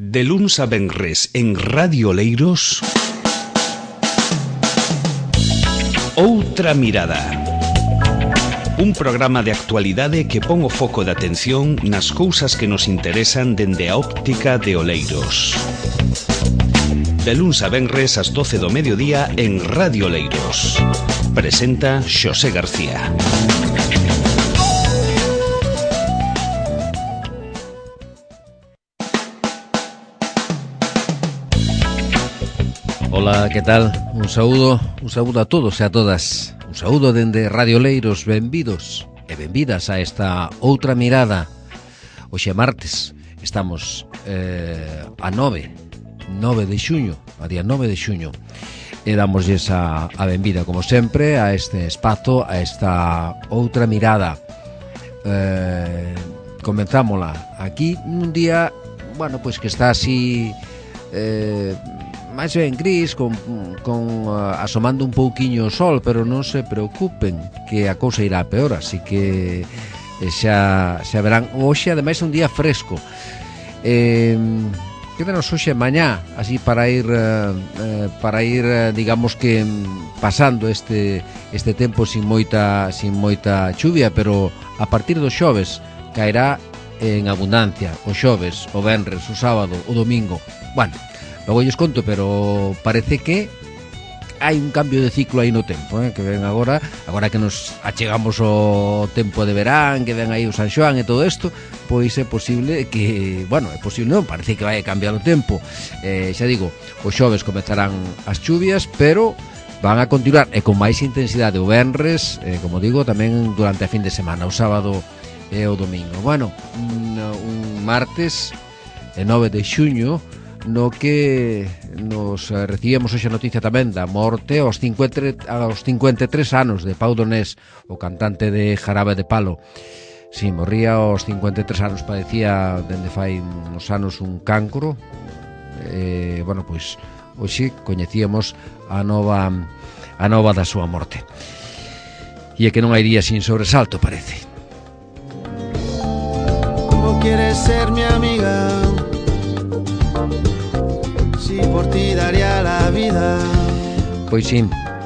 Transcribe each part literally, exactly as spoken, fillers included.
De luns a venres en Radio Oleiros, Outra Mirada. Un programa de actualidade que pon o foco de atención nas cousas que nos interesan dende a óptica de Oleiros. De luns a venres ás doce do mediodía en Radio Oleiros. Presenta Xosé García. Ola, que tal? Un saúdo, un saúdo a todos e a todas. Un saúdo dende Radio Oleiros, benvidos e benvidas a esta Outra Mirada. Hoxe é martes, estamos eh, a nove de xuño, a día nove de xuño. E damosles a, a benvida, como sempre, a este espazo, a esta Outra Mirada. Eh, comenzámola aquí nun día, bueno, pois que está así... Eh, máis ben gris, con, con uh, asomando un pouquiño o sol, pero non se preocupen que a cousa irá a peor, así que eh, xa, xa verán. Hoxe ademais é un día fresco, eh, quédanos hoxe mañá así para ir uh, uh, para ir, uh, digamos que pasando este este tempo sin moita sin moita chuvia, pero a partir do xoves caerá en abundancia, o xoves, o venres, o sábado, o domingo. Bueno, logo lles conto, pero parece que hai un cambio de ciclo aí no tempo, eh? Que ven agora, agora que nos achegamos ao tempo de verán, que ven aí o San Xoán e todo isto, pois é posible que, bueno, é posible non, parece que vai cambiar o tempo. Eh, xa digo, os xoves comezarán as chuvias, pero van a continuar e con máis intensidade o venres, eh, como digo, tamén durante a fin de semana, o sábado e o domingo. Bueno, un, un martes, e nove de xuño, no que nos recibimos hoxe a noticia tamén da morte aos cincuenta, aos cincuenta e tres anos de Pau Donés, o cantante de Jarabe de Palo. Si, sí, morría aos cincuenta e tres anos, padecía dende fai uns anos un cancro. Eh, bueno, pois hoxe coñecíamos a nova a nova da súa morte. E é que non hai día sin sobresalto, parece. Como quieres ser mi amiga? Por ti daría la vida. Pois sí,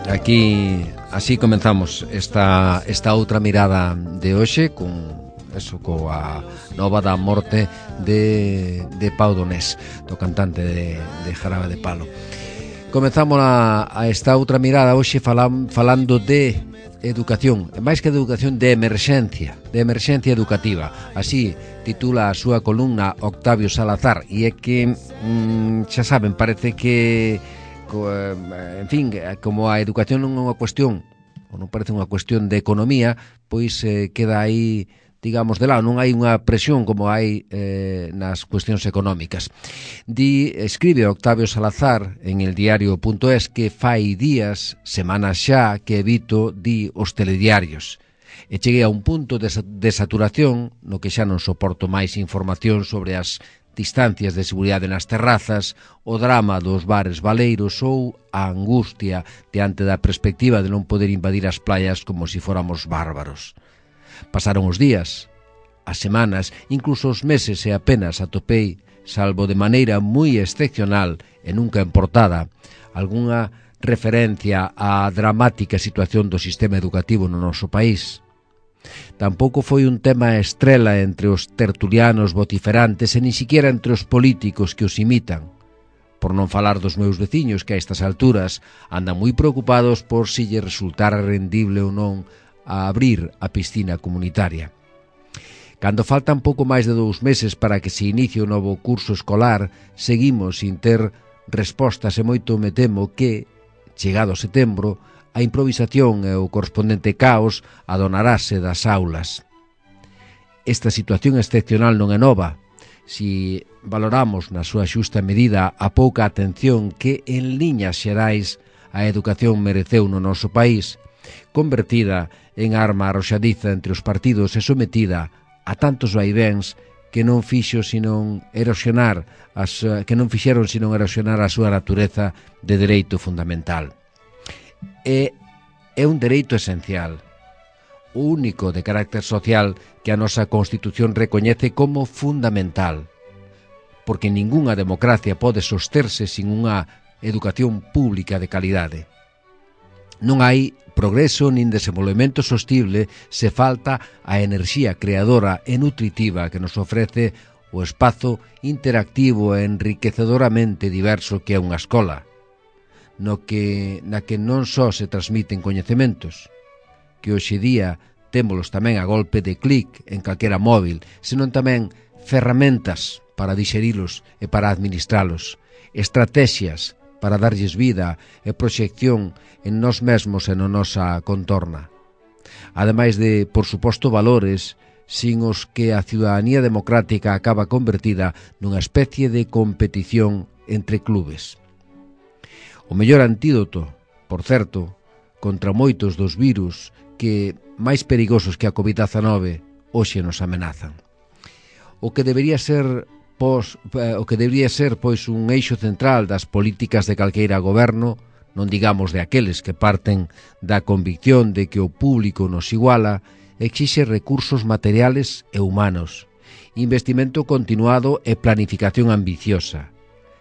aquí así comenzamos esta esta outra mirada de hoxe con eso, coa nova da morte de de Pau Donés, do cantante de, de Jarabe de Palo. Comenzamos a, a esta outra mirada hoxe falan, falando de educación, e máis que de educación, de emerxencia, de emerxencia educativa. Así titula a súa columna Octavio Salazar, e é que mm, xa saben, parece que co, en fin, como a educación non é unha cuestión, ou non parece unha cuestión de economía, pois eh, queda aí, digamos, de lado, non hai unha presión como hai eh, nas cuestións económicas. Di, escribe Octavio Salazar en el diario punto es que fai días, semanas xa, que evito, di, os telediarios. E cheguei a un punto de, de saturación no que xa non soporto máis información sobre as distancias de seguridade nas terrazas, o drama dos bares baleiros ou a angustia diante da perspectiva de non poder invadir as playas como se fóramos bárbaros. Pasaron os días, as semanas, incluso os meses e apenas atopei, salvo de maneira moi excepcional e nunca en portada, algunha referencia á dramática situación do sistema educativo no noso país. Tampouco foi un tema estrela entre os tertulianos vociferantes e ni siquiera entre os políticos que os imitan. Por non falar dos meus veciños que a estas alturas andan moi preocupados por si lle resultara rendible ou non a abrir a piscina comunitaria. Cando faltan pouco máis de dous meses para que se inicie o novo curso escolar, seguimos sin ter respostas e moito me temo que, chegado setembro, a improvisación e o correspondente caos adonarase das aulas. Esta situación excepcional non é nova, si valoramos na súa xusta medida a pouca atención que en liñas xerais a educación mereceu no noso país, convertida en arma arroxadiza entre os partidos e sometida a tantos vaivéns que non fixo senón erosionar as, que non fixeron senón erosionar a súa natureza de dereito fundamental. É, é un dereito esencial, o único de carácter social que a nosa Constitución recoñece como fundamental. porque ningunha democracia pode sosterse sin unha educación pública de calidade. Non hai progreso nin desenvolvemento sostible se falta a enerxía creadora e nutritiva que nos ofrece o espazo interactivo e enriquecedoramente diverso que é unha escola, no que, na que non só se transmiten coñecementos, que hoxe día témolos tamén a golpe de clic en calquera móvil, senón tamén ferramentas para dixerilos e para administralos, estrategias para darlles vida e proxección en nós mesmos e na nosa contorna. Ademais de, por suposto, valores sin os que a ciudadanía democrática acaba convertida nunha especie de competición entre clubes. O mellor antídoto, por certo, contra moitos dos virus que máis perigosos que a covid dezanove hoxe nos amenazan. O que debería ser pos, o que debería ser pois un eixo central das políticas de calqueira goberno, non digamos de aqueles que parten da convicción de que o público nos iguala, exixe recursos materiales e humanos, investimento continuado e planificación ambiciosa,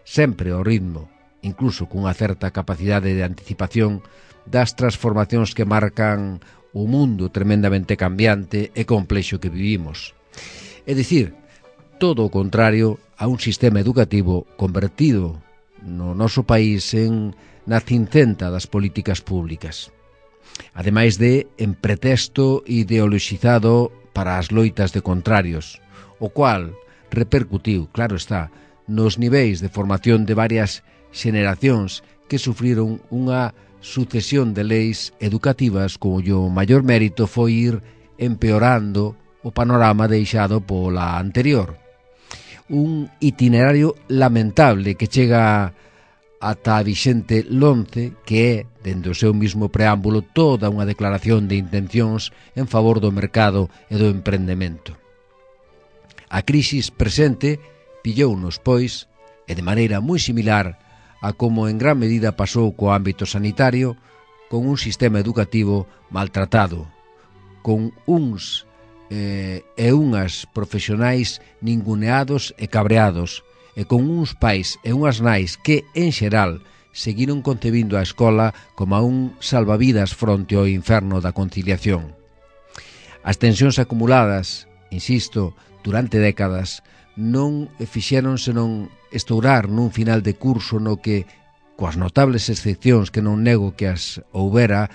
sempre ao ritmo, incluso cunha certa capacidade de anticipación das transformacións que marcan o mundo tremendamente cambiante e complexo que vivimos. É dicir, todo o contrario a un sistema educativo convertido no noso país en na cincenta das políticas públicas, ademais de en pretexto ideologizado para as loitas de contrarios, o cual repercutiu, claro está, nos niveis de formación de varias xeneracións que sufriron unha sucesión de leis educativas cuyo maior mérito foi ir empeorando o panorama deixado pola anterior. Un itinerario lamentable que chega ata a vixente LOMCE, que é, dende o seu mismo preámbulo, toda unha declaración de intencións en favor do mercado e do emprendemento. A crisis presente pillounos, pois, e de maneira moi similar a como en gran medida pasou co ámbito sanitario, con un sistema educativo maltratado, con uns eh, e unhas profesionais ninguneados e cabreados, e con uns pais e unhas nais que, en xeral, seguiron concebindo a escola como un salvavidas fronte ao inferno da conciliación. As tensións acumuladas, insisto, durante décadas, non fixeron senón estourar nun final de curso no que, coas notables excepcións que non nego que as houbera,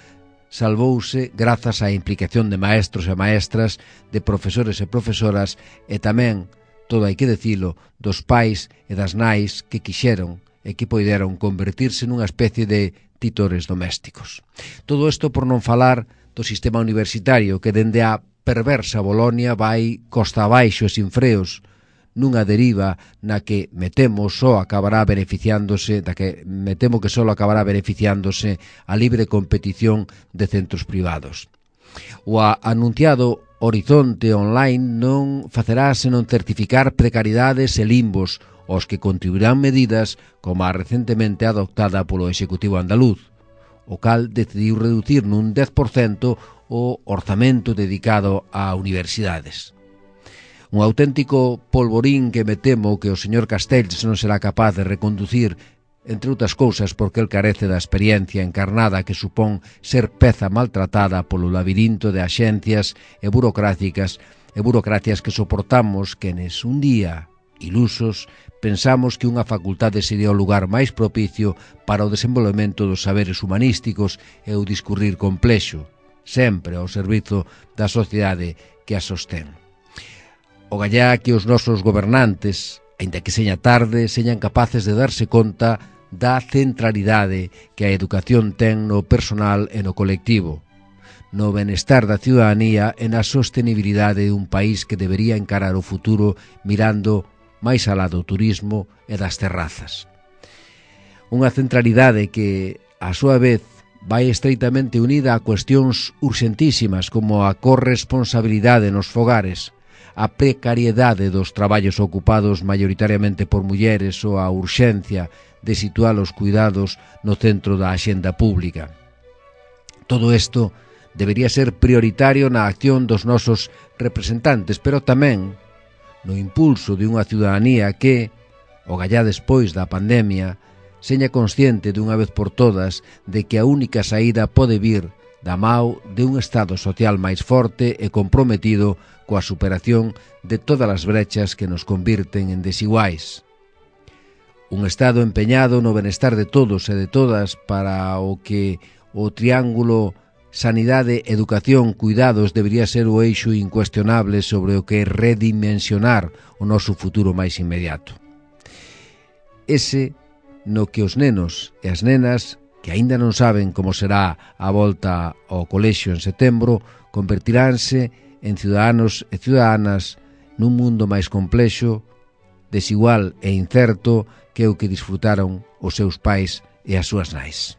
salvouse grazas á implicación de maestros e maestras, de profesores e profesoras e tamén, todo hai que dicilo, dos pais e das nais que quixeron e que poideron convertirse nunha especie de titores domésticos. Todo isto por non falar do sistema universitario que dende a perversa Bolonia vai costa abaixo e sin freos, nunha deriva na que me temo só acabará beneficiándose, da que me temo que só acabará beneficiándose a libre competición de centros privados. O anunciado Horizonte Online non facerá senón certificar precariedades e limbos aos que contribuirán medidas como a recentemente adoptada polo Executivo andaluz, o cal decidiu reducir nun dez por cento o orzamento dedicado a universidades. Un auténtico polvorín que me temo que o señor Castells non será capaz de reconducir, entre outras cousas porque el carece da experiencia encarnada que supón ser peza maltratada polo labirinto de axencias e burocráticas e burocracias que soportamos quenes un día, ilusos, pensamos que unha facultade sería o lugar máis propicio para o desenvolvemento dos saberes humanísticos e o discurrir complexo, sempre ao servizo da sociedade que a sostén. O gallá que os nosos gobernantes, aínda que seña tarde, señan capaces de darse conta da centralidade que a educación ten no personal e no colectivo, no benestar da ciudadanía e na sostenibilidade dun país que debería encarar o futuro mirando máis alá do turismo e das terrazas. Unha centralidade que, a súa vez, vai estreitamente unida a cuestións urxentísimas como a corresponsabilidade nos fogares, a precariedade dos traballos ocupados maioritariamente por mulleres ou a urxencia de situar os cuidados no centro da axenda pública. Todo isto debería ser prioritario na acción dos nosos representantes, pero tamén no impulso de unha ciudadanía que, o gallá despois da pandemia, seña consciente dunha vez por todas de que a única saída pode vir da mao de un Estado social máis forte e comprometido coa superación de todas as brechas que nos convirten en desiguais. Un Estado empeñado no benestar de todos e de todas para o que o triángulo sanidade, educación, cuidados debería ser o eixo incuestionable sobre o que redimensionar o noso futuro máis inmediato. Ese no que os nenos e as nenas, que aínda non saben como será a volta ao colexio en setembro, convertiránse en ciudadanos e ciudadanas nun mundo máis complexo, desigual e incerto que o que disfrutaron os seus pais e as súas nais.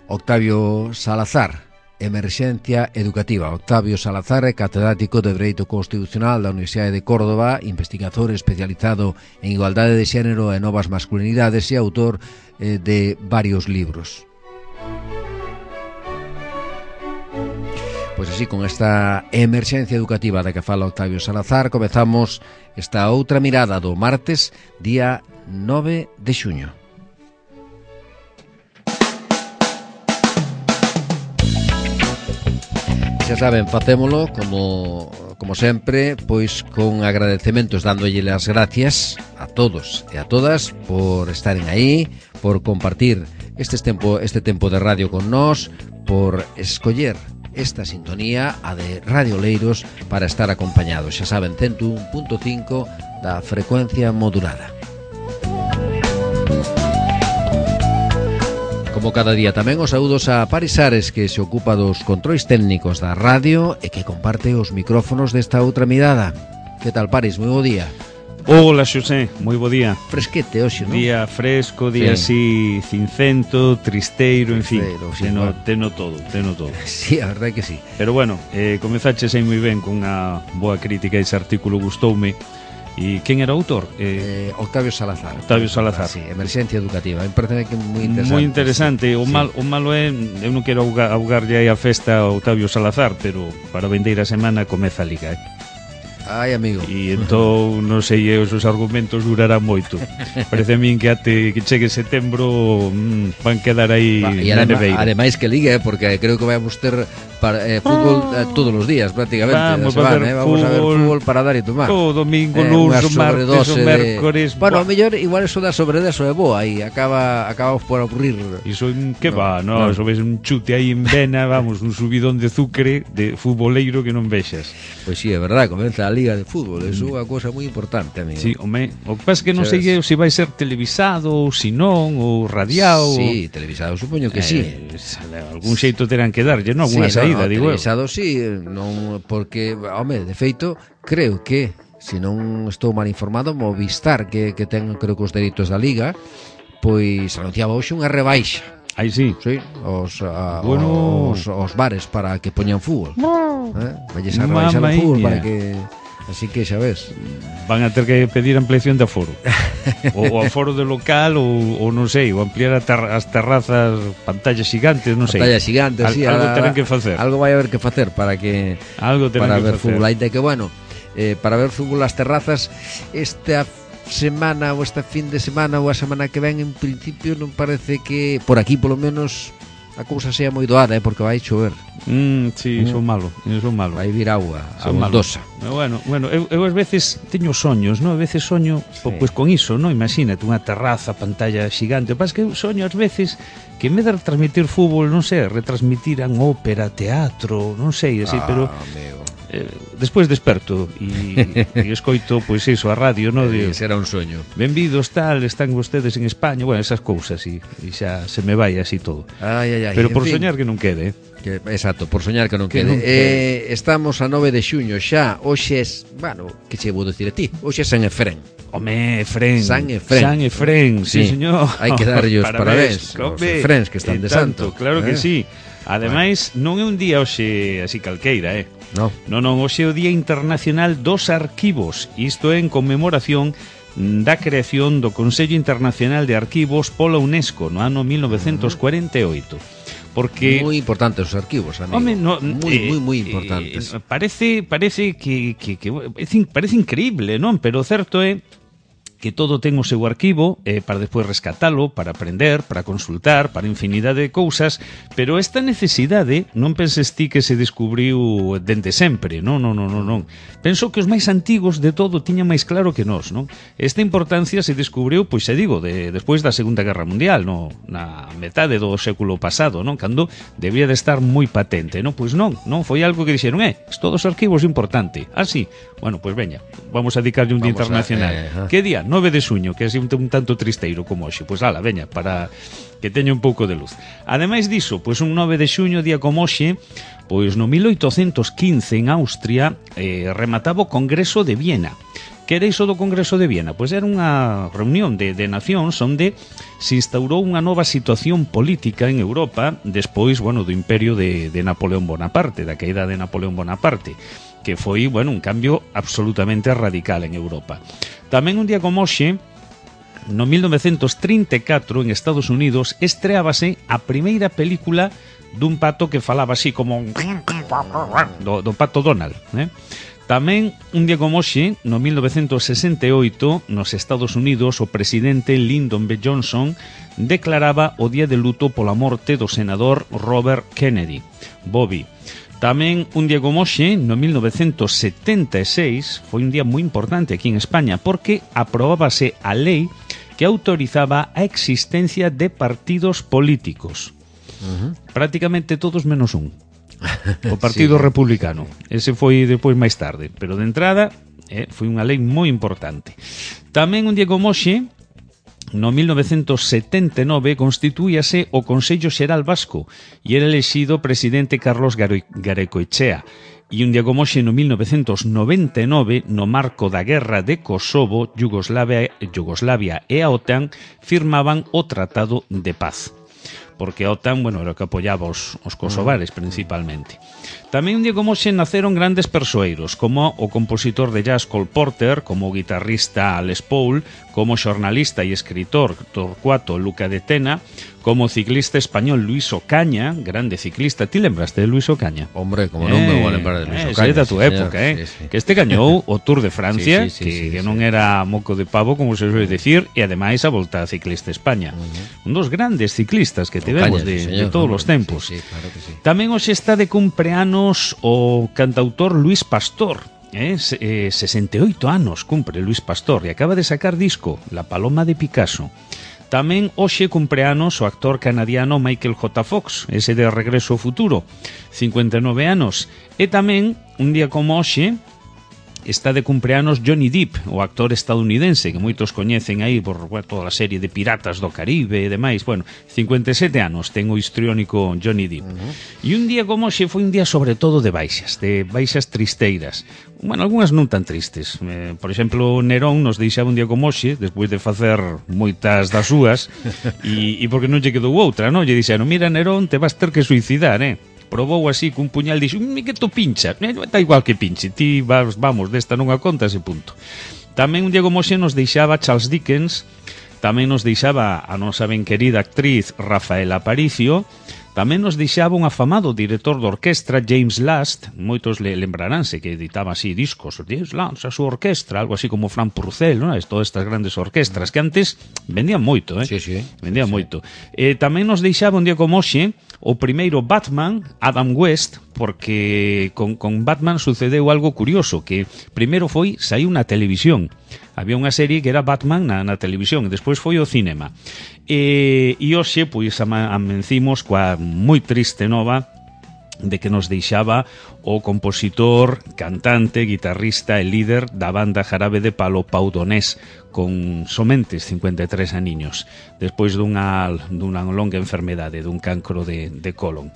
Octavio Salazar, Emerxencia Educativa. Octavio Salazar é catedrático de Dereito Constitucional da Universidade de Córdoba, investigador especializado en igualdade de xénero e novas masculinidades e autor eh, de varios libros. Pois así, con esta emerxencia educativa da que fala Octavio Salazar, comezamos esta outra mirada do martes, día nove de xuño. Xa saben, facémolo como, como sempre, pois con agradecementos, dándolle as gracias a todos e a todas por estaren aí, por compartir este tempo, este tempo de radio con nós, por escoller esta sintonía, a de Radio Oleiros, para estar acompañados. Xa saben, ciento un punto cinco da frecuencia modulada. Como cada día tamén os saúdos a Paris Ares, que se ocupa dos controis técnicos da radio e que comparte os micrófonos desta outra mirada. Que tal, Paris? Moi bo día. Hola, Xosé, moi bo día. Fresquete hoxe, non? Día fresco, día sí. así cincento, tristeiro, en fin, Tristeiro, sí, teno, bueno. teno todo, teno todo. Sí, a verdade que sí. Pero bueno, eh, comezaches aí moi ben con unha boa crítica, ese artículo gustoume. E quen era o autor? Eh, Eh, Octavio Salazar. Octavio Salazar. Sí, Emerxencia Educativa. Me parece que é moi interesante. Moi interesante. O, sí. mal, o malo é, eu non quero augar, augarlle aí a festa a Octavio Salazar, pero para a vindeira semana comeza a Liga, eh? Ai, amigo. E entón, non sei, os seus argumentos durarán moito. Parece a min que até que chegue setembro mmm, van quedar aí E na adema, neveira. ademais que ligue, eh, porque creo que vamos ter para, eh, fútbol eh, todos os días, prácticamente. Vamos, semana, a ver eh, vamos fútbol, a ver fútbol para dar e tomar. O domingo, Eh, lunes, unha o martes, o sobredose mércores. De... Bueno, buah. a mellor igual eso da sobredoso é boa aí, acaba acabamos por aburrir. Iso que No, va, no, no. eso ves un chute aí en vena, vamos, un subidón de azucre de futboleiro que non vexas. Pois sí, é verdade, comeza a Liga de Fútbol, eso é unha cousa moi importante, amigo. Sí, home, o que pasa é que non Xa sei se vai ser televisado ou se non, ou radiado. Sí, televisado, supoño que eh, sí. Algún xeito terán que darlle, non? Alguna sí, saída, no, no, digo eu. televisado sí, non, porque, home, de feito, creo que, se non estou mal informado, Movistar, que, que ten, creo que os dereitos da Liga, pois anunciaba hoxe unha rebaixa. Aí sí. Sí, os, a, Bueno. os, os bares para que poñan fútbol. Eh? Valles a rebaixar o Mamma fútbol mía. para que... Así que xa ves. Van a ter que pedir ampliación de aforo. ou, ou aforo de local, ou, ou non sei, ou ampliar a ter, as terrazas, pantallas gigantes, non sei. Pantalla xigante, Al, sí. algo ahora- terán que facer. Algo vai haber que facer para que... Algo terán para que ver facer. fútbol. Ainda que, bueno, eh, para ver fútbol as terrazas, esta semana ou esta fin de semana ou a semana que ven, en principio non parece que, por aquí polo menos, a cousa sea moi doada, eh, porque vai chover. Mm, sí, Mm. son malo, son malo. Vai vir agua, Son abundosa. Bueno, bueno, eu, eu ás veces teño soños, non? A veces soño Sí. sí. pois con iso, non? Imagínate unha terraza, pantalla xigante. O que pasa é que eu soño ás veces que en vez de retransmitir fútbol, non sei, retransmitiran ópera, teatro, non sei, así, Ah, pero amigo. eh, despois desperto e, e escoito, pois iso, a radio, non? De, Será un soño. benvidos, tal, están vostedes en España, bueno, esas cousas, e, e xa se me vai así todo. Ai, ai, ai. Pero En por fin, soñar que non quede, eh? que, exacto, por soñar que non Que quede. non Eh, estamos a nove de xuño xa. Hoxe é, bueno, que che vou dicir a ti? Hoxe é San Efrén. Home, Efrén. San Efrén. San Efrén, sí, Sí, señor. hai que darlle os parabéns aos home, efréns que están e de tanto, santo, Claro eh? que sí. Ademais, non é un día hoxe así calqueira, eh? No. Non, non, hoxe é o Día Internacional dos Arquivos. Isto é en conmemoración da creación do Consello Internacional de Arquivos pola UNESCO no ano mil novecentos cuarenta e oito. porque moi importantes os arquivos, amigo. Home, no, moi, eh, moi, moi importantes. Eh, parece parece que, que, que parece increíble, non? Pero o certo é que todo ten o seu arquivo eh, para despois rescatalo, para aprender, para consultar, para infinidade de cousas, pero esta necesidade non penses ti que se descubriu dende sempre, non, non, non, non, non. Penso que os máis antigos de todo tiñan máis claro que nós, non? Esta importancia se descubriu, pois se digo, de, despois da Segunda Guerra Mundial, no, na metade do século pasado, non? Cando debía de estar moi patente, non? Pois non, non, foi algo que dixeron, eh, todos os arquivos importante. Ah, sí, bueno, pois veña, vamos a dedicarlle un día internacional. A, eh, que día? nove de suño, que é un, un tanto tristeiro como hoxe. Pois ala, veña, para que teña un pouco de luz. Ademais diso, pois un nove de xuño, día como hoxe, pois no mil oitocentos quince en Austria eh, remataba o Congreso de Viena. Que era iso do Congreso de Viena? Pois era unha reunión de, de nacións onde se instaurou unha nova situación política en Europa despois, bueno, do imperio de, de Napoleón Bonaparte, da caída de Napoleón Bonaparte, que foi, bueno, un cambio absolutamente radical en Europa. Tamén un día como hoxe, no mil novecentos trinta e catro, en Estados Unidos, estreábase a primeira película dun pato que falaba así como do, do pato Donald, eh? Tamén, un día como hoxe, no mil novecentos sesenta e oito, nos Estados Unidos, o presidente Lyndon B. Johnson declaraba o día de luto pola morte do senador Robert Kennedy, Bobby. Tamén, un día como hoxe, no mil novecentos setenta e seis, foi un día moi importante aquí en España, porque aprobábase a lei que autorizaba a existencia de partidos políticos. Uh-huh. Prácticamente todos menos un. O Partido sí. Republicano. Ese foi depois máis tarde, pero de entrada eh, foi unha lei moi importante. Tamén un día como hoxe, no mil novecentos setenta e nove, constituíase o Consello Xeral Vasco e era elexido presidente Carlos Garaikoetxea. E un día como hoxe, no mil novecentos noventa e nove, no marco da Guerra de Kosovo, Yugoslavia, Yugoslavia e a OTAN firmaban o Tratado de Paz. Porque a OTAN, bueno, era o que apoyaba os, os kosovares principalmente. Tamén un día como hoxe naceron grandes persoeiros, como o compositor de jazz Cole Porter, como o guitarrista Les Paul, como o xornalista e escritor Torcuato Luca de Tena, como o ciclista español Luis Ocaña, grande ciclista. Ti lembraste de Luis Ocaña? Hombre, como non me vou lembrar de Luis eh, Ocaña. É da tua sí, época, eh? Sí, sí. Que este gañou o Tour de Francia, sí, sí, sí, que, sí, que non sí. era moco de pavo, como se suele decir, e ademais a Volta Ciclista España. Uh-huh. Un dos grandes ciclistas que tivemos de, sí, de todos os tempos. Sí, sí, claro que sí. Tamén hoxe está de cumpleanos o cantautor Luis Pastor. Eh, eh, sesenta e oito anos cumpre Luis Pastor e acaba de sacar disco, La Paloma de Picasso. Tamén hoxe cumpleanos o actor canadiano Michael J. Fox, ese de Regreso ao Futuro, cincuenta e nove anos. E tamén, un día como hoxe, está de cumpleanos Johnny Depp, o actor estadounidense que moitos coñecen aí por bueno, toda a serie de Piratas do Caribe e demais. Bueno, cincuenta e sete anos ten o histriónico Johnny Depp. Uh-huh. E un día como hoxe foi un día sobre todo de baixas, de baixas tristeiras. Bueno, algunhas non tan tristes. Eh, por exemplo, Nerón nos deixaba un día como hoxe, despois de facer moitas das súas, e, e porque non lle quedou outra, non? Lle dixeron, mira Nerón, te vas ter que suicidar, eh? Probou así cun puñal, dixo, que tú pincha, está igual que pinche, ti vas, vamos, desta non a conta ese punto. Tamén un día como hoxe nos deixaba Charles Dickens, tamén nos deixaba a nosa ben querida actriz Rafaela Aparicio, tamén nos deixaba un afamado director de orquestra, James Last, moitos le lembraránse que editaba así discos, James Last, a súa orquestra, algo así como Fran Purcell, non? Todas estas grandes orquestras que antes vendían moito, eh? Sí, sí. Vendían sí. moito. Eh, tamén nos deixaba un día como hoxe o primeiro Batman, Adam West, porque con, con Batman sucedeu algo curioso, que primeiro foi, saiu na televisión. Había unha serie que era Batman na, na televisión, e despois foi o cinema. E, e hoxe, pois, amencimos coa moi triste nova de que nos deixaba o compositor, cantante, guitarrista e líder da banda Jarabe de Palo, Pau Donés, con somente cincuenta e tres aniños, despois dunha, dunha longa enfermedade, dun cancro de, de colon.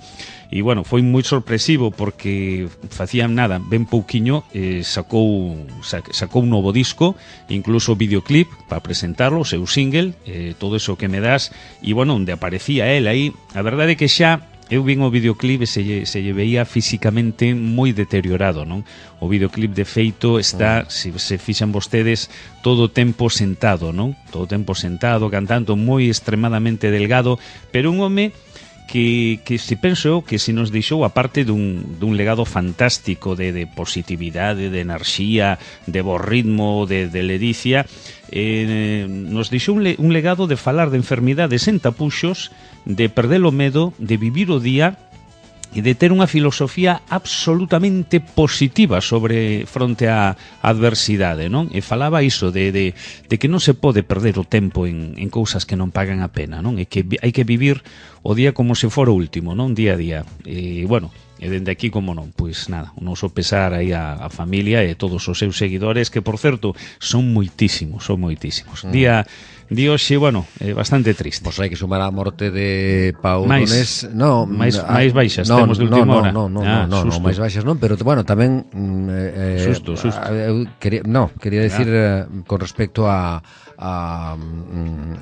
E, bueno, foi moi sorpresivo porque facían nada, ben pouquiño, eh, sacou, sacou un novo disco, incluso videoclip para presentarlo, o seu single, eh, Todo eso que me das, e, bueno, onde aparecía el aí, a verdade é que xa eu vin o videoclip e se lle, se lle veía físicamente moi deteriorado, non? O videoclip de feito está, se, se fixan vostedes, todo o tempo sentado, non? Todo o tempo sentado, cantando, moi extremadamente delgado, pero un home que, que se penso que se nos deixou a parte dun, dun legado fantástico de, de positividade, de enerxía, de bo ritmo, de, de ledicia, eh, nos deixou un, le, un legado de falar de enfermidades en tapuxos, de perder o medo, de vivir o día e de ter unha filosofía absolutamente positiva sobre fronte á adversidade, non? E falaba iso de, de, de que non se pode perder o tempo en, en cousas que non pagan a pena, non? E que hai que vivir o día como se fora o último, non? Día a día. E, bueno, e dende aquí, como non, pois nada, un oso pesar aí a, a familia e todos os seus seguidores, que, por certo, son moitísimos, son moitísimos. Mm. Día... Di hoxe, bueno, é bastante triste. Pois hai que sumar a morte de Pau máis, Donés. No, máis, a, máis baixas no, temos de última no, hora. No, no, ah, no, no, no, máis baixas non, pero bueno, tamén eh, susto, susto. Eu quería, no, quería decir ah. eh, con respecto a a,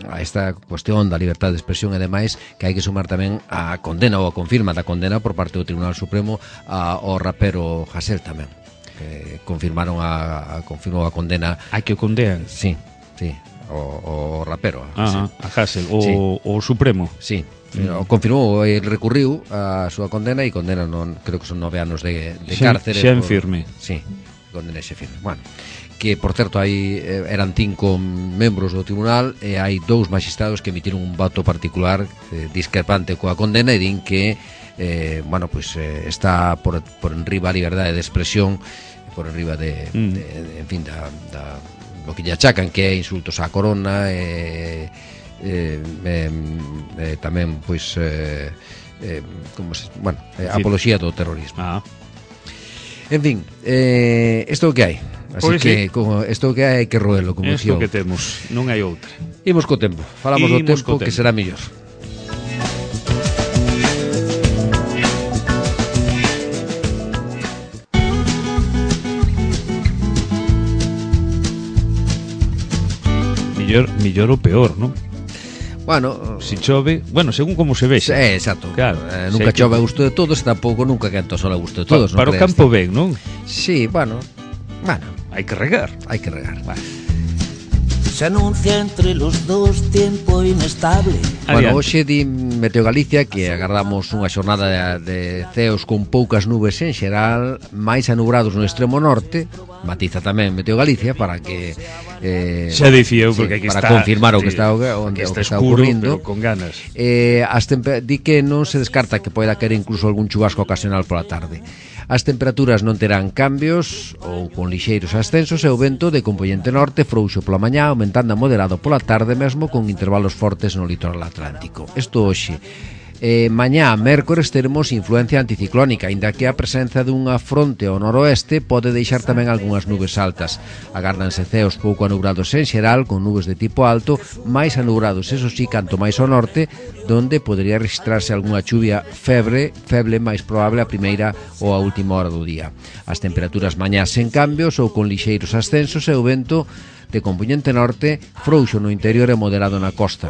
a esta cuestión da libertade de expresión e demais, que hai que sumar tamén a condena ou a confirma da condena por parte do Tribunal Supremo ao rapero Hasél tamén, que confirmaron a, a confirmou a condena. Hai que condean? Sí, sí. O, o rapero ah, a Hasél, o, sí. o Supremo. Sí, mm. o confirmou, el recurriu a súa condena e condena, non, creo que son nove anos de, de cárcere. Xa en firme. Sí, condena xa firme. Bueno, que por certo hai eran cinco membros do tribunal e hai dous magistrados que emitiron un voto particular eh, discrepante coa condena e din que eh, bueno, pues, eh, está por, por enriba a liberdade de expresión, por enriba de, mm. de, de en fin, da, da lo que lle achacan, que é insultos á corona e eh, eh, eh, tamén pois eh, eh, como se, bueno, eh, apoloxía do terrorismo. Ah. En fin, eh, isto é o que hai. Así pois que sí. como isto que hai, hai que roelo, como isto dixo. que temos, non hai outra. Imos co tempo. Falamos Imos do tempo, tempo que será mellor. Millor, millor ou peor, non? Bueno, si chove, bueno, según como se vexe. Eh, exacto. Claro, eh, nunca chove a gusto de todos e tampouco nunca quenta o sol a gusto de todos. Pa, para o campo ben, non? Sí, bueno, bueno, hai que regar. Hai que regar. Bueno. Se anuncia entre los dos tiempo inestable. Bueno, hoxe di Meteo Galicia que agardamos unha xornada de, de ceos con poucas nubes en xeral, máis anubrados no extremo norte, matiza tamén Meteo Galicia para que eh, xa dicía eu, porque sí, aquí para está, confirmar o que sí, está onde está, o que está escuro, ocurrindo, pero con ganas. Eh, as temper- di que non se descarta que poida caer incluso algún chubasco ocasional pola tarde. As temperaturas non terán cambios ou con lixeiros ascensos e o vento de compoñente norte frouxo pola mañá, aumentando a moderado pola tarde mesmo con intervalos fortes no litoral atlántico. Isto hoxe. Eh, mañá, mércores, teremos influencia anticiclónica, aínda que a presenza dunha fronte ao noroeste pode deixar tamén algunhas nubes altas. Agárdanse ceos pouco anubrados en xeral, con nubes de tipo alto, máis anubrados, eso sí, canto máis ao norte, donde podería registrarse algunha chuvia febre, feble máis probable a primeira ou a última hora do día. As temperaturas mañás sen cambios ou con lixeiros ascensos e o vento de compoñente norte frouxo no interior e moderado na costa.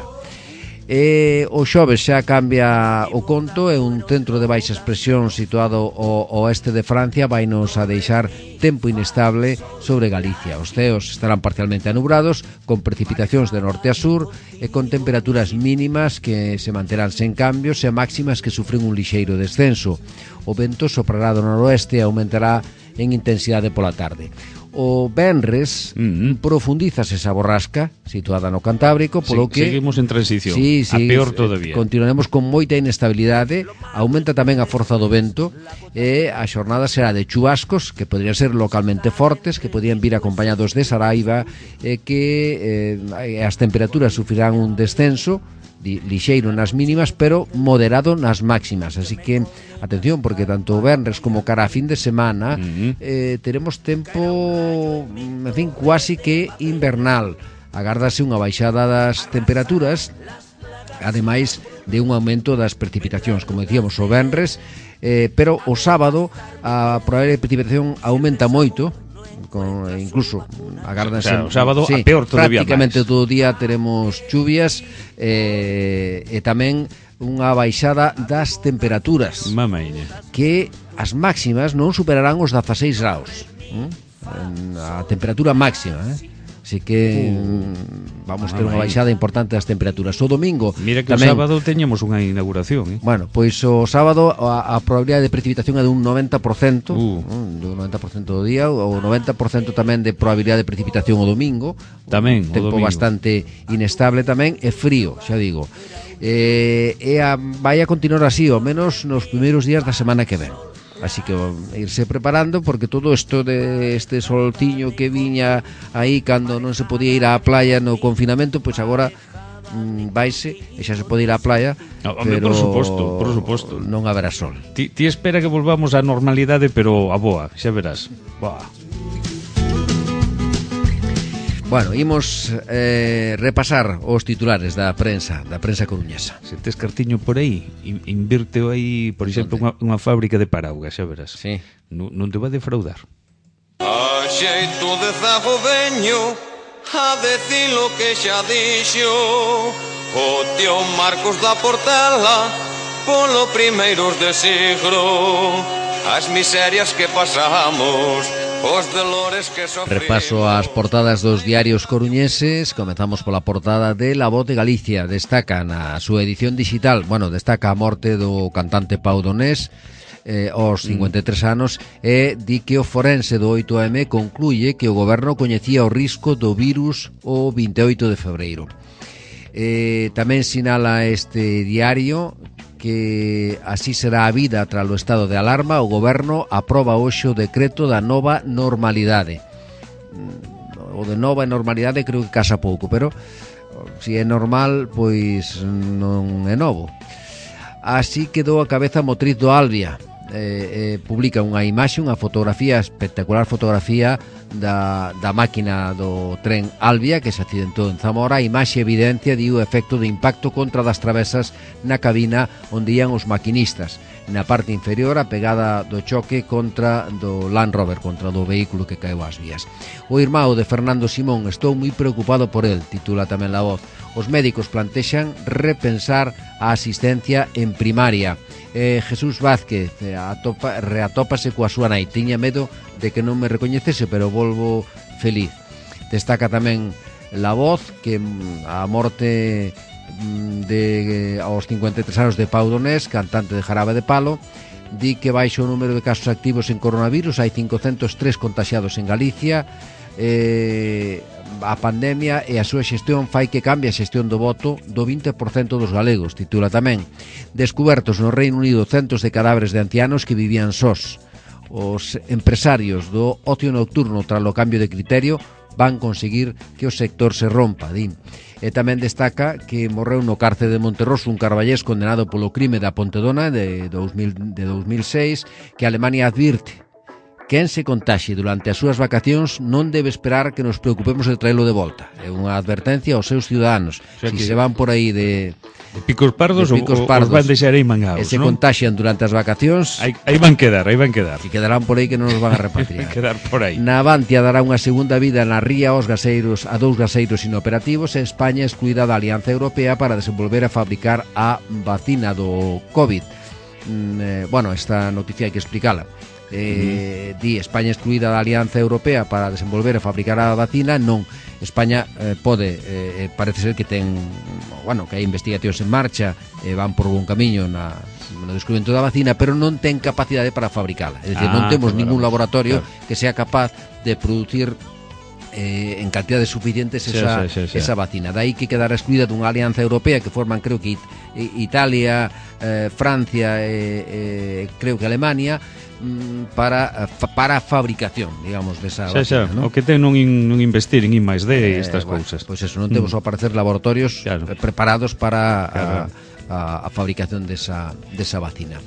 E o xoves xa cambia o conto e un centro de baixas presións situado ao oeste de Francia vai nos a deixar tempo inestable sobre Galicia. Os ceos estarán parcialmente anubrados con precipitacións de norte a sur e con temperaturas mínimas que se manterán sen cambios e máximas que sufren un lixeiro descenso. O vento soprará do noroeste e aumentará en intensidade pola tarde. O venres mm-hmm. profundízase esa borrasca situada no Cantábrico, polo sí, que seguimos en transición, sí, sí, a peor todavía. Continuaremos con moita inestabilidade, aumenta tamén a forza do vento e a xornada será de chubascos que podrían ser localmente fortes, que podían vir acompañados de saraiva e que eh, as temperaturas sufrirán un descenso lixeiro nas mínimas, pero moderado nas máximas, así que atención, porque tanto o venres como cara a fin de semana uh-huh. eh, teremos tempo, en fin, cuasi que invernal. Agárdase unha baixada das temperaturas, ademais de un aumento das precipitacións, como decíamos, o venres, eh, pero o sábado a probabilidade de precipitación aumenta moito, con, incluso agárdanse, o, sea, o sábado sí, a peor todavía prácticamente máis. todo o día teremos chuvias eh, e tamén unha baixada das temperaturas, Mamaine. que as máximas non superarán os dezaseis graus, ¿eh? A temperatura máxima, eh? Así que uh, vamos ter unha baixada importante das temperaturas. O domingo mira que tamén, o sábado teñamos unha inauguración, eh? Bueno, pois o sábado a, a probabilidade de precipitación é dun noventa por cento, uh. dun noventa por cento do día, o noventa por cento tamén de probabilidade de precipitación o domingo. Tamén, tempo o domingo bastante inestable tamén e frío, xa digo. Eh, e a, vai a continuar así, ao menos nos primeiros días da semana que ven. Así que irse preparando, porque todo isto de este soltiño que viña aí cando non se podía ir á playa no confinamento, pois agora mm, vaise e xa se pode ir á playa, no, pero por suposto, por suposto. Non haberá sol. Ti, ti espera que volvamos á normalidade, pero a boa, xa verás. Boa. Bueno, imos eh, repasar os titulares da prensa, da prensa coruñesa. Se tes cartiño por aí, invírteo aí, por exemplo, unha, unha fábrica de paraugas, xa verás. Sí. Non, non te vai defraudar. A xeito de zago veño a decir lo que xa dixo o tío Marcos da Portela polo primeiros de siglo, as miserias que pasamos, os dolores que sofrimos. Repaso as portadas dos diarios coruñeses. Comezamos pola portada de La Voz de Galicia. Destaca na súa edición digital, bueno, destaca a morte do cantante Pau Donés eh, aos cincuenta e tres anos, e di que o forense do oito eme concluye que o goberno coñecía o risco do virus o vinte e oito de febreiro. Eh, tamén sinala este diario que así será a vida tras o estado de alarma. O goberno aproba hoxe o decreto da nova normalidade. O de nova normalidade creo que casa pouco, pero se é normal, pois non é novo. Así quedou a cabeza motriz do Albia. Eh, eh, publica unha imaxe, unha fotografía, espectacular fotografía da, da máquina do tren Albia que se accidentou en Zamora. A imaxe evidencia di o efecto de impacto contra das travesas na cabina onde ian os maquinistas. Na parte inferior a pegada do choque contra do Land Rover, contra do vehículo que caeu ás vías. O irmão de Fernando Simón: estou moi preocupado por el, titula tamén La Voz. Os médicos plantexan repensar a asistencia en primaria. Eh, Jesús Vázquez eh, atopa, reatópase coa súa nai. Tiña medo de que non me recoñecese, pero volvo feliz. Destaca tamén La Voz que a morte de aos cincuenta e tres anos de Pau Donés, cantante de Jarabe de Palo, di que baixo o número de casos activos en coronavirus. Hai cincocentos tres contaxiados en Galicia. Eh, a pandemia e a súa xestión fai que cambie a xestión do voto do vinte por cento dos galegos, titula tamén. Descubertos no Reino Unido centos de cadáveres de ancianos que vivían sós. Os empresarios do ocio nocturno, tras o cambio de criterio, van conseguir que o sector se rompa, din. E tamén destaca que morreu no cárcere de Monterroso un carballés condenado polo crime da Pontedona de, dos mil, de dos mil seis, que Alemania advirte: quen se contaxe durante as súas vacacións non debe esperar que nos preocupemos de traelo de volta. É unha advertencia aos seus ciudadanos. O sea, si se van por aí de, de picos pardos, de picos o, pardos os van deixar aí mangados, e se ¿no? contaxian durante as vacacións, aí, aí van quedar, aí van quedar. E quedarán por aí que non nos van a repatriar. Quedar por aí. Navantia dará unha segunda vida na ría aos gaseiros, a dous gaseiros inoperativos, e España excluída da Alianza Europea para desenvolver a fabricar a vacina do COVID. Mm, eh, bueno, esta noticia hai que explicala. Eh, uh-huh. Di España excluída da Alianza Europea para desenvolver e fabricar a vacina. Non, España eh, pode, eh, parece ser que ten, bueno, que hai investigacións en marcha, eh, van por bon camiño na, no descubrimento da vacina, pero non ten capacidade para fabricala. É dicir, ah, non temos claro, ningún laboratorio claro. que sea capaz de producir eh, en cantidades suficientes esa, sí, sí, sí, sí. esa vacina. Dai que quedar excluída dunha alianza europea que forman, creo que It Italia, eh, Francia e eh, eh, creo que Alemania, para para a fabricación, digamos, desa xa, vacina, xa, ¿no? O que ten non, in, non investir en I máis D e eh, estas bueno, cousas. Pois pues eso, non temos mm. ao parecer laboratorios claro. preparados para claro. a, a, a fabricación desa, desa vacina.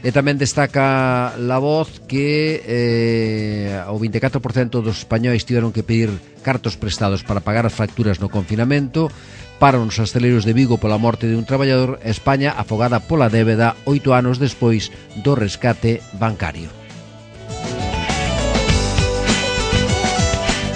E tamén destaca La Voz que eh, o vinte e catro por cento dos españois tiveron que pedir cartos prestados para pagar as facturas no confinamento. Paran os hosteleiros de Vigo pola morte de un traballador. España afogada pola débeda oito anos despois do rescate bancario.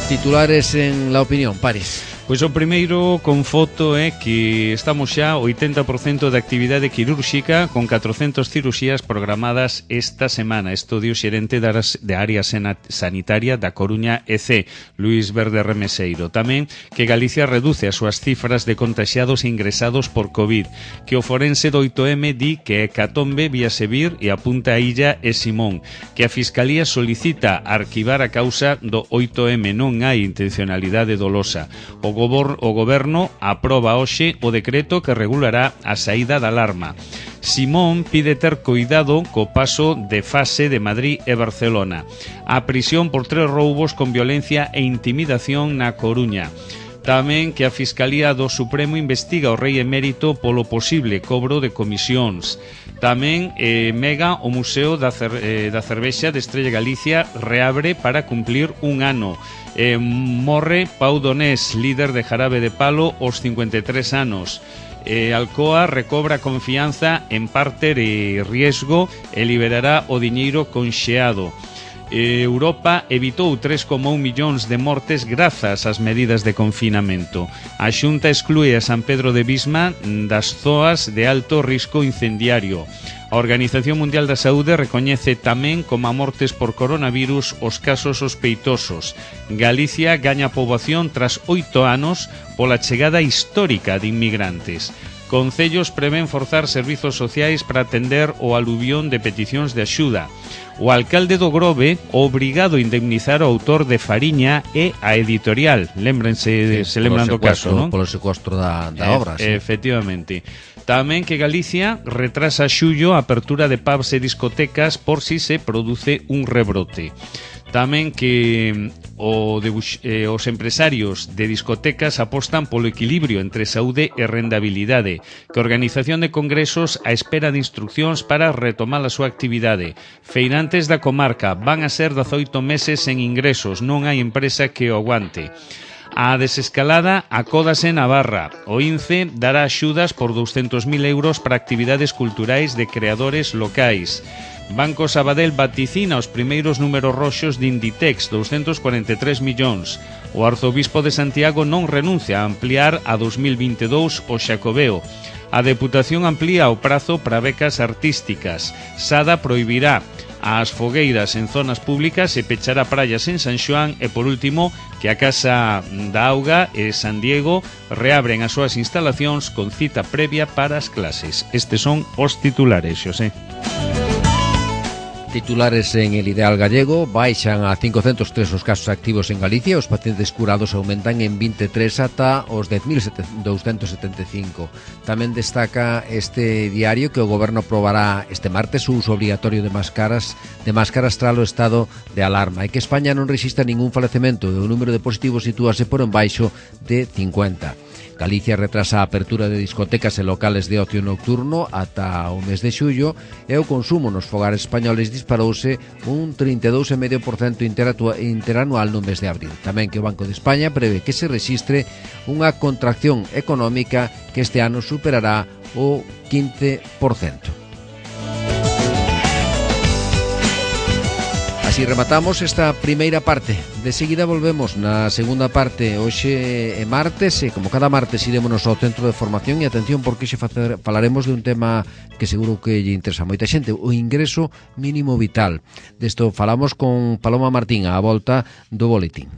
Titulares en La Opinión, París. Pois o primeiro con foto é que estamos xa oitenta por cento de actividade quirúrxica con catrocentas cirurxías programadas esta semana. Isto dio o xerente de área sanitaria da Coruña E C, Luís Verde Remeseiro. Tamén que Galicia reduce as súas cifras de contaxiados e ingresados por COVID, que o forense do oito eme di que é Catombe, Vía Sevir e apunta a Illa e Simón, que a Fiscalía solicita arquivar a causa do oito eme, non hai intencionalidade dolosa. O O Goberno aproba hoxe o decreto que regulará a saída da alarma. Simón pide ter cuidado co paso de fase de Madrid e Barcelona. A prisión por tres roubos con violencia e intimidación na Coruña. Tamén que a Fiscalía do Supremo investiga o rei emérito polo posible cobro de comisións. Tamén eh, Mega, o Museo da, Cer eh, da Cervexa de Estrella Galicia, reabre para cumplir un ano. Eh, morre Pau Donés, líder de Jarabe de Palo, aos cincuenta e tres anos. Eh, Alcoa recobra confianza en parte de riesgo e liberará o diñeiro conxeado. Europa evitou tres coma un millóns de mortes grazas ás medidas de confinamento. A Xunta exclúe a San Pedro de Bisma das zoas de alto risco incendiario. A Organización Mundial da Saúde recoñece tamén como a mortes por coronavirus os casos sospeitosos. Galicia gaña poboación tras oito anos pola chegada histórica de inmigrantes. Concellos prevén forzar servizos sociais para atender o aluvión de peticións de axuda. O alcalde do Grove obrigado a indemnizar o autor de Fariña e a editorial. Lémbrense, sí, se lembran do caso, non? Polo secuestro da, da obra, e, sí. Efectivamente. Tamén que Galicia retrasa xullo a apertura de pubs e discotecas por si se produce un rebrote. Tamén que o de, eh, os empresarios de discotecas apostan polo equilibrio entre saúde e rendabilidade, que a Organización de Congresos a espera de instruccións para retomar a súa actividade. Feirantes da comarca van a ser dezaoito meses sen ingresos, non hai empresa que o aguante. A desescalada acódase en Navarra. O INCE dará axudas por douscentos mil euros para actividades culturais de creadores locais. Banco Sabadell vaticina os primeiros números roxos de Inditex, doscientos cuarenta e tres millóns. O arzobispo de Santiago non renuncia a ampliar a dos mil vinte e dous o Xacobeo. A Deputación amplía o prazo para becas artísticas. Sada prohibirá as fogueiras en zonas públicas e pechará praias en San Xoán e, por último, que a Casa da Auga e San Diego reabren as súas instalacións con cita previa para as clases. Estes son os titulares, Xosé. Titulares en el Ideal Gallego: baixan a cincocentos tres os casos activos en Galicia, os pacientes curados aumentan en vinte e tres ata os dez mil douscentos setenta e cinco. Tamén destaca este diario que o Goberno aprobará este martes o uso obligatorio de máscaras de máscaras tras o estado de alarma e que España non rexistra ningún falecemento e o número de positivos sitúase por embaixo de cincuenta. Galicia retrasa a apertura de discotecas e locales de ocio nocturno ata o mes de xullo e o consumo nos fogares españoles disparouse un trinta e dous vírgula cinco por cento interanual no mes de abril. Tamén que o Banco de España prevé que se rexistre unha contracción económica que este ano superará o quince por cento. Así rematamos esta primeira parte. De seguida volvemos na segunda parte. Hoxe é martes e como cada martes irémonos ao Centro de Formación e atención porque xe falaremos de un tema que seguro que lle interesa a moita xente, o ingreso mínimo vital. Desto falamos con Paloma Martín á volta do boletín.